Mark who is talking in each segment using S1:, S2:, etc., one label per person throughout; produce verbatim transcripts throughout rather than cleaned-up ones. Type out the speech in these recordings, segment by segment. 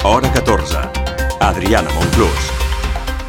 S1: Hora catorze. Adriana Monclús.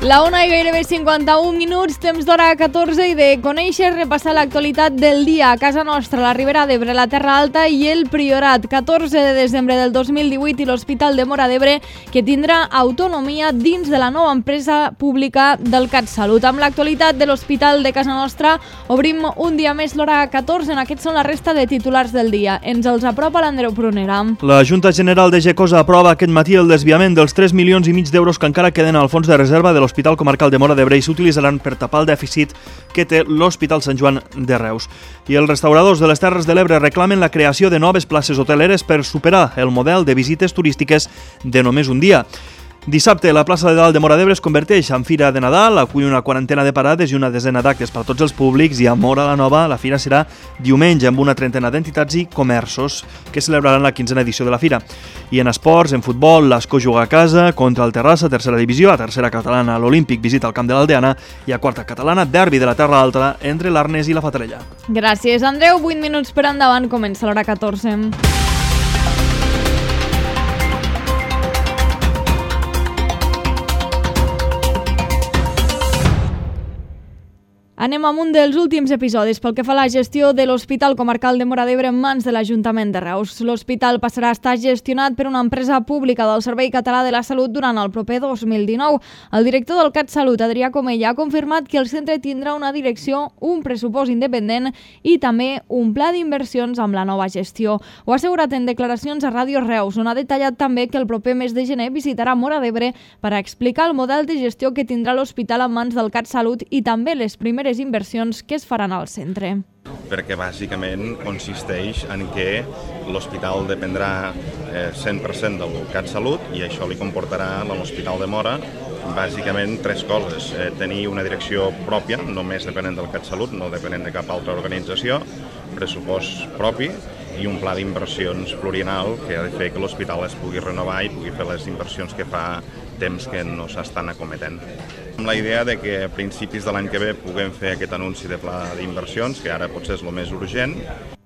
S2: La una i gairebé cinquanta-un minuts, temps d'hora catorze i de conèixer, repassar l'actualitat del dia a casa nostra, la Ribera d'Ebre, la Terra Alta i el Priorat. catorze de desembre del dos mil divuit i l'Hospital de Móra d'Ebre, que tindrà autonomia dins de la nova empresa pública del CatSalut. Amb l'actualitat de l'Hospital de casa nostra, obrim un dia més l'hora catorze. En aquests són la resta de titulars del dia. Ens els apropa l'Andreu Prunera.
S3: La Junta General de Gecosa aprova aquest matí el desviament dels tres milions i mig d'euros que encara queden al fons de reserva de l'Hospital Comarcal de Móra d'Ebre i s'utilitzaran per tapar el dèficit que té l'Hospital Sant Joan de Reus. I els restauradors de les Terres de l'Ebre reclamen la creació de noves places hoteleres per superar el model de visites turístiques de només un dia. Dissabte, la plaça de Dalt de Móra d'Ebre es converteix en Fira de Nadal, acull una quarantena de parades i una desena d'actes per a tots els públics, i a Móra la Nova la fira serà diumenge amb una trentena d'entitats i comerços que celebraran la quinzena edició de la fira. I en esports, en futbol, l'Ascó juga a casa contra el Terrassa, tercera divisió, a tercera catalana l'Olímpic visita el camp de l'Aldeana i a quarta catalana derbi de la Terra Alta entre l'Arnes i la Fatarella.
S2: Gràcies, Andreu. vuit minuts per endavant, comença l'hora catorze. Anem amb un dels últims episodis pel que fa a la gestió de l'Hospital Comarcal de Móra d'Ebre en mans de l'Ajuntament de Reus. L'hospital passarà a estar gestionat per una empresa pública del Servei Català de la Salut durant el proper dos mil dinou. El director del CatSalut, Adrià Comella, ha confirmat que el centre tindrà una direcció, un pressupost independent i també un pla d'inversions amb la nova gestió. Ho ha assegurat en declaracions a Ràdio Reus, on ha detallat també que el proper mes de gener visitarà Móra d'Ebre per a explicar el model de gestió que tindrà l'hospital en mans del CatSalut i també les primeres inversions que es faran al centre.
S4: Perquè bàsicament consisteix en que l'hospital dependrà cent per cent del CatSalut i això li comportarà a l'Hospital de Móra bàsicament tres coses. Eh, tenir una direcció pròpia, només depenent del CatSalut, no depenent de cap altra organització, pressupost propi i un pla d'inversions plurianual que ha de fer que l'hospital es pugui renovar i pugui fer les inversions que fa temps que no s'estan acometent. Amb la idea de que a principis de l'any que ve puguem fer aquest anunci de pla d'inversions, que ara potser és el més urgent.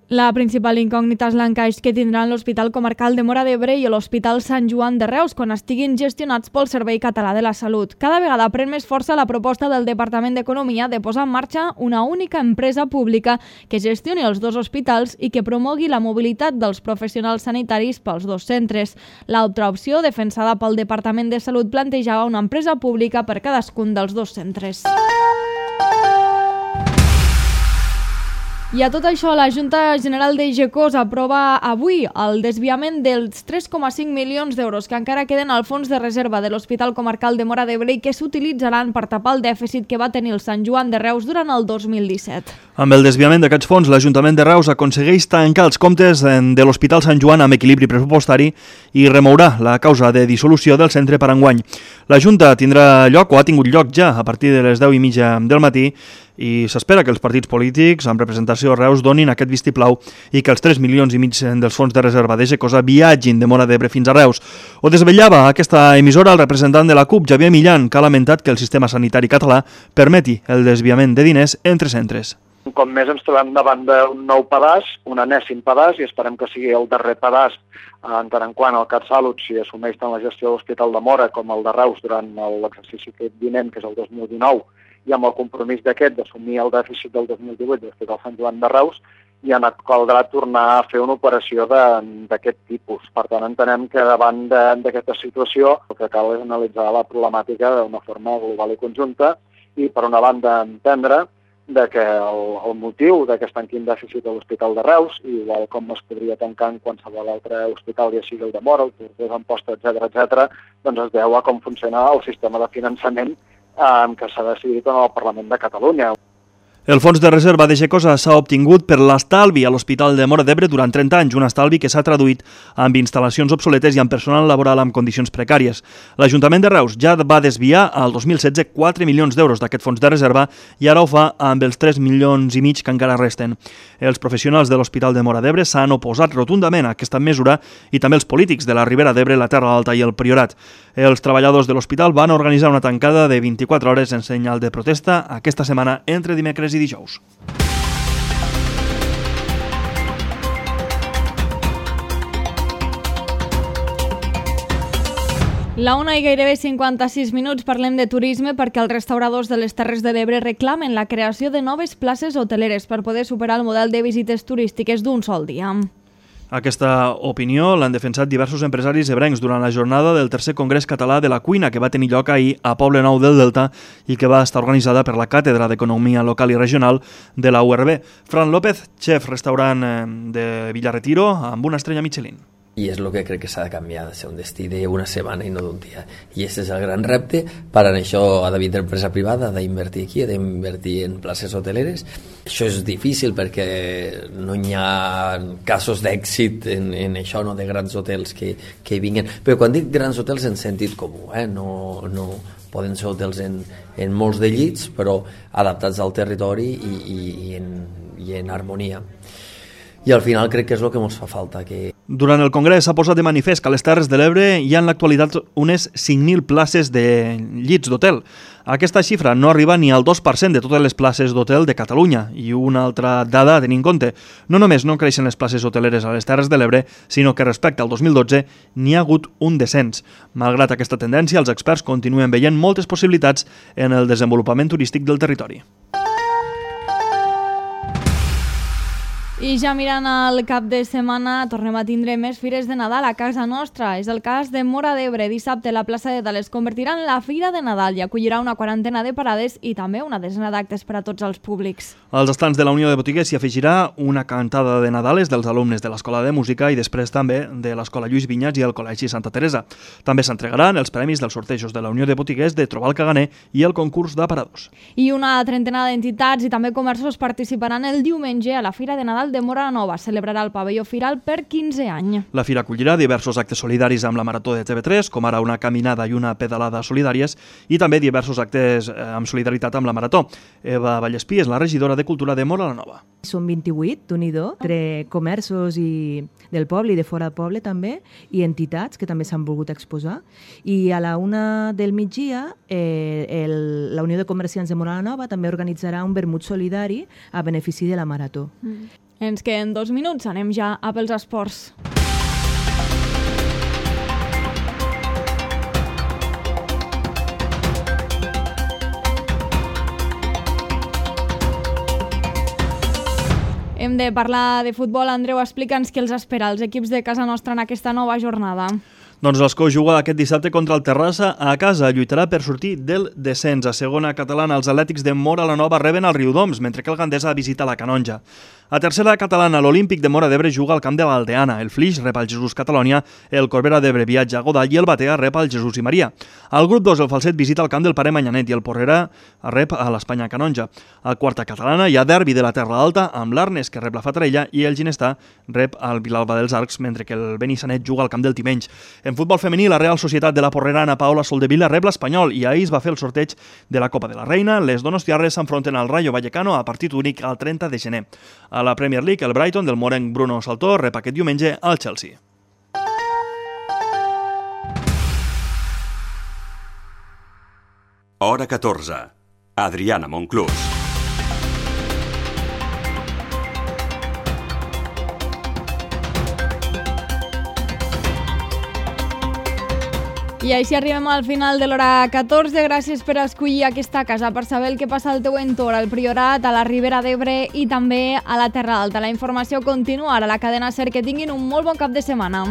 S2: La principal incògnita és l'encaix que tindran l'Hospital Comarcal de Móra d'Ebre i l'Hospital Sant Joan de Reus quan estiguin gestionats pel Servei Català de la Salut. Cada vegada pren més força la proposta del Departament d'Economia de posar en marxa una única empresa pública que gestioni els dos hospitals i que promogui la mobilitat dels professionals sanitaris pels dos centres. L'altra opció, defensada pel Departament de Salut, plantejava una empresa pública per cadascun dels dos centres. I a tot això, la Junta General de Gecosa aprova avui el desviament dels tres coma cinc milions d'euros que encara queden al fons de reserva de l'Hospital Comarcal de Móra d'Ebre i que s'utilitzaran per tapar el dèficit que va tenir el Sant Joan de Reus durant el dos mil disset.
S3: Amb el desviament d'aquests fons, l'Ajuntament de Reus aconsegueix tancar els comptes de l'Hospital Sant Joan amb equilibri pressupostari i remourà la causa de dissolució del centre per enguany. La Junta tindrà lloc o ha tingut lloc ja a partir de les deu i mitja del matí i s'espera que els partits polítics amb representació a Reus donin aquest vistiplau i que els tres milions i mig dels fons de reserva de Gecosa viatgin de Móra d'Ebre fins a Reus. Ho desvetllava aquesta emissora el representant de la CUP, Xavier Millan, que ha lamentat que el sistema sanitari català permeti el desviament de diners entre centres.
S5: Un cop més ens trobem davant d'un nou pedaç, un enèsim pedaç, i esperem que sigui el darrer pedaç en tant en quant el CatSalut s'hi assumeix tant la gestió de l'Hospital de Móra com el de Reus durant l'exercici vinent, que és el dos mil dinou, i amb el compromís d'aquest d'assumir el dèficit del dos mil divuit de l'Hospital Sant Joan de Reus, i en caldrà tornar a fer una operació d'aquest tipus. Per tant, entenem que davant d'aquesta situació el que cal és analitzar la problemàtica d'una forma global i conjunta i, per una banda, entendre de que el, el motiu de que es tanqui un dèficit a l'Hospital de Reus, igual com es podria tancar en qualsevol altre hospital, ja sigui el de Móra, el Tortosa, Amposta, etcètera, etcètera, doncs es deu a com funciona el sistema de finançament eh, que s'ha decidit en el Parlament de Catalunya.
S3: El fons de reserva de Gecosa s'ha obtingut per l'estalvi a l'Hospital de Móra d'Ebre durant trenta anys, un estalvi que s'ha traduït amb instal·lacions obsoletes i amb personal laboral amb condicions precàries. L'Ajuntament de Reus ja va desviar al dos mil setze quatre milions d'euros d'aquest fons de reserva i ara ho fa amb els tres milions i mig que encara resten. Els professionals de l'Hospital de Móra d'Ebre s'han oposat rotundament a aquesta mesura i també els polítics de la Ribera d'Ebre, la Terra Alta i el Priorat. Els treballadors de l'hospital van organitzar una tancada de vint-i-quatre hores en senyal de protesta aquesta setmana entre dimecres i dijous.
S2: La una i gairebé cinquanta-sis minuts parlem de turisme perquè els restauradors de les Terres de l'Ebre reclamen la creació de noves places hoteleres per poder superar el model de visites turístiques d'un sol dia.
S3: Aquesta opinió l'han defensat diversos empresaris ebrencs durant la jornada del tercer Congrés Català de la Cuina que va tenir lloc ahir a Poblenou del Delta i que va estar organitzada per la Càtedra d'Economia Local i Regional de la U R B. Fran López, xef restaurant de Villarretiro, amb una estrella Michelin.
S6: I és el que crec que s'ha de canviar, de ser un destí d'una setmana i no d'un dia. I aquest és el gran repte, per això ha d'haver d'empresa privada, ha d'invertir aquí, ha d'invertir en places hoteleres. Això és difícil perquè no hi ha casos d'èxit en, en això, no, de grans hotels que, que vinguen. Però quan dic grans hotels en sentit comú, eh? no, no poden ser hotels en, en molts de llits, però adaptats al territori i, i, i, en, i en harmonia. I al final crec que és el que ens fa falta. Que...
S3: Durant el Congrés s'ha posat de manifest que a les Terres de l'Ebre hi ha en l'actualitat unes cinc mil places de llits d'hotel. Aquesta xifra no arriba ni al dos per cent de totes les places d'hotel de Catalunya. I una altra dada a tenir en compte. No només no creixen les places hoteleres a les Terres de l'Ebre, sinó que respecte al dos mil dotze n'hi ha hagut un descens. Malgrat aquesta tendència, els experts continuen veient moltes possibilitats en el desenvolupament turístic del territori.
S2: I ja mirant al cap de setmana tornem a tindre més fires de Nadal a casa nostra. És el cas de Móra d'Ebre. Dissabte la plaça de Dalt es convertirà en la Fira de Nadal i acollirà una quarantena de parades i també una desena d'actes per a tots els públics.
S3: Als estants de la Unió de Botiguers s'hi afegirà una cantada de Nadales dels alumnes de l'Escola de Música i després també de l'Escola Lluís Vinyas i el Col·legi Santa Teresa. També s'entregaran els premis dels sortejos de la Unió de Botiguers de Trobar el Caganer i el concurs d'aparadors.
S2: I una trentena d'entitats i també comerços participaran el diumenge a la Fira de Nadal de Móra la Nova. Celebrarà el pavelló firal per quinze anys.
S3: La fira acollirà diversos actes solidaris amb la Marató de T V tres, com ara una caminada i una pedalada solidàries, i també diversos actes amb solidaritat amb la Marató. Eva Vallespí és la regidora de Cultura de Móra la Nova.
S7: Són vint-i-vuit, d'un-i-do, entre comerços i del poble i de fora del poble també, i entitats que també s'han volgut exposar. I a la una del migdia, eh, el, la Unió de Comerciants de Móra la Nova també organitzarà un vermut solidari a benefici de la Marató.
S2: Mm. Ens queden dos minuts, anem ja a pels esports. Hem de parlar de futbol. Andreu, explica'ns què els espera als equips de casa nostra en aquesta nova jornada.
S3: Doncs l'Escó juga aquest dissabte contra el Terrassa a casa. Lluitarà per sortir del descens. A segona catalana, els atlètics de Móra la Nova reben el Riudoms, mentre que el Gandesa visita la Canonja. A tercera catalana, l'Olímpic de Móra d'Ebre juga al camp de l'Aldeana. El Flix rep el Jesús Catalònia, el Corbera d'Ebre viatja a Godall i el Batea rep el Jesús i Maria. Al grup dos, el Falset visita el camp del Pare Manyanet i el Porrera rep a l'Espanya Canonja. A quarta catalana hi ha derbi de la Terra Alta amb l'Arnes, que rep la Fatarella, i el Ginestà rep el Vilalba dels Arcs, mentre que el Benissanet juga al camp del Timenys. En futbol femení, la Real Societat de la Porrera Ana Paola Soldevila rep l'Espanyol i ahir es va fer el sorteig de la Copa de la Reina. Les donostiarres s'enfronten al Rayo Vallecano a partit únic el trenta de gener. A la Premier League, el Brighton del morenc Bruno Saltó rep aquest diumenge al Chelsea.
S1: Hora catorze. Adriana Monclús.
S2: I així arribem al final de l'hora catorze. Gràcies per escollir aquesta casa, per saber el que passa al teu entorn, al Priorat, a la Ribera d'Ebre i també a la Terra Alta. La informació continua a la cadena SER. Que tinguin un molt bon cap de setmana.